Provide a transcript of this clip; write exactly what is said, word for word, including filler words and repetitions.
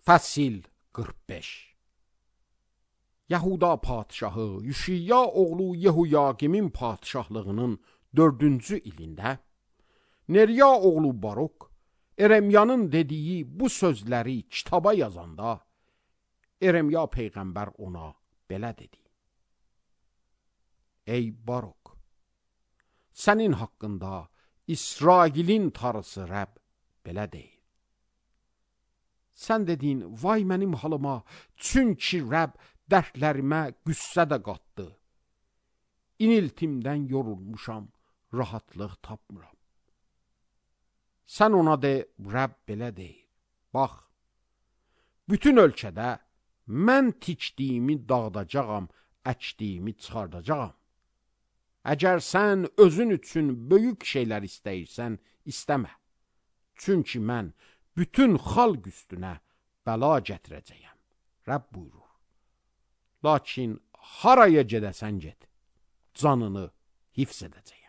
Fəsil qırx beş. Yahuda padşahı Yüşiyya oğlu Yehuyaqimin padşahlığının dördüncü ilində Neriya oğlu Baruk Eremyanın dediyi bu sözləri kitaba yazanda Eremya peyğəmbər ona belə dedi: Ey Baruk, sənin haqqında İsrailin tarısı Rəbb belə deyir. Sən dedin, vay mənim halıma, çünki Rəbb dərdlərimə qüssə də qatdı. İniltimdən yorulmuşam, rahatlıq tapmıram. Sən ona de, Rəbb belə deyir. Bax, bütün ölkədə mən tikdiyimi dağıdacağam, əkdiyimi çıxardacağam. Əgər sən özün üçün böyük şeylər istəyirsən, istəmə. Çünki mən bütün xalq üstünə bəla gətirəcəyəm. Rəbb buyurur. Lakin haraya gedəsən get, canını hifz edəcək.